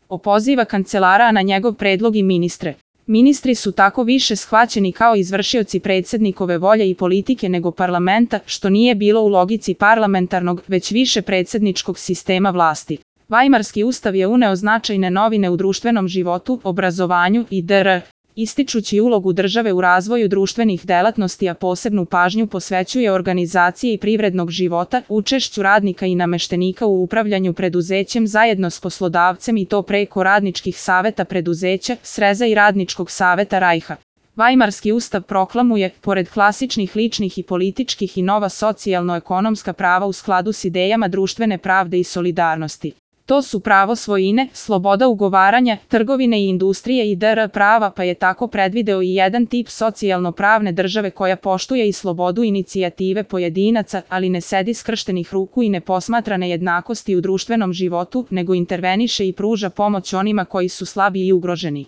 opoziva kancelara na njegov predlog i ministre. Ministri su tako više shvaćeni kao izvršioci predsjednikove volje i politike nego parlamenta, što nije bilo u logici parlamentarnog, već više predsjedničkog sistema vlasti. Vajmarski ustav je uneo značajne novine u društvenom životu, obrazovanju i dr. Ističući ulogu države u razvoju društvenih delatnosti, a posebnu pažnju posvećuje organizaciji privrednog života, učešću radnika i nameštenika u upravljanju preduzećem zajedno s poslodavcem i to preko radničkih saveta preduzeća, sreza i radničkog saveta Rajha. Vajmarski ustav proklamuje, pored klasičnih ličnih i političkih i nova socijalno-ekonomska prava u skladu s idejama društvene pravde i solidarnosti. To su pravo svojine, sloboda ugovaranja, trgovine i industrije i dr. prava, pa je tako predvideo i jedan tip socijalno-pravne države koja poštuje i slobodu inicijative pojedinaca, ali ne sedi skrštenih ruku i ne posmatra nejednakosti u društvenom životu, nego interveniše i pruža pomoć onima koji su slabi i ugroženi.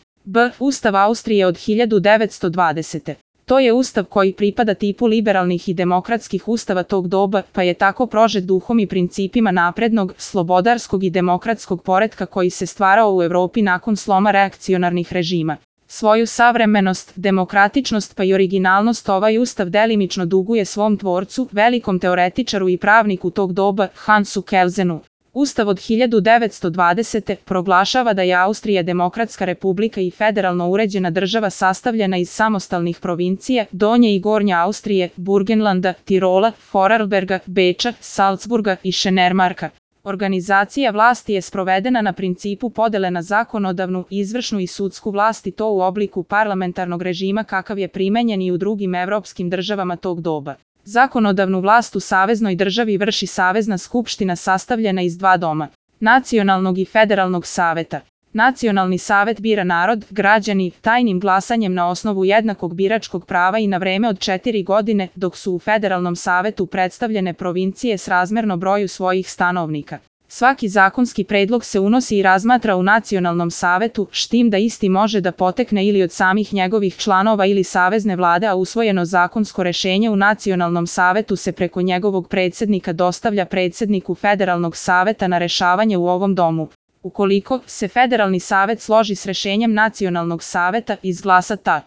Ustav Austrije od 1920. To je ustav koji pripada tipu liberalnih i demokratskih ustava tog doba, pa je tako prožet duhom i principima naprednog, slobodarskog i demokratskog poretka koji se stvarao u Evropi nakon sloma reakcionarnih režima. Svoju savremenost, demokratičnost pa i originalnost ovaj ustav delimično duguje svom tvorcu, velikom teoretičaru i pravniku tog doba, Hansu Kelzenu. Ustav od 1920. proglašava da je Austrija demokratska republika i federalno uređena država sastavljena iz samostalnih provincija, Donje i Gornje Austrije, Burgenlanda, Tirola, Vorarlberga, Beča, Salzburga i Šenermarka. Organizacija vlasti je sprovedena na principu podele na zakonodavnu, izvršnu i sudsku vlast i to u obliku parlamentarnog režima kakav je primenjen i u drugim evropskim državama tog doba. Zakonodavnu vlast u saveznoj državi vrši Savezna skupština sastavljena iz dva doma, nacionalnog i federalnog saveta. Nacionalni savet bira narod, građani, tajnim glasanjem na osnovu jednakog biračkog prava i na vreme od 4 godine, dok su u federalnom savetu predstavljene provincije srazmerno broju svojih stanovnika. Svaki zakonski predlog se unosi i razmatra u nacionalnom savetu, s tim da isti može da potekne ili od samih njegovih članova ili savezne vlade, a usvojeno zakonsko rešenje u nacionalnom savetu se preko njegovog predsjednika dostavlja predsjedniku federalnog saveta na rešavanje u ovom domu. Ukoliko se federalni savet složi s rešenjem nacionalnog saveta, izglasa ta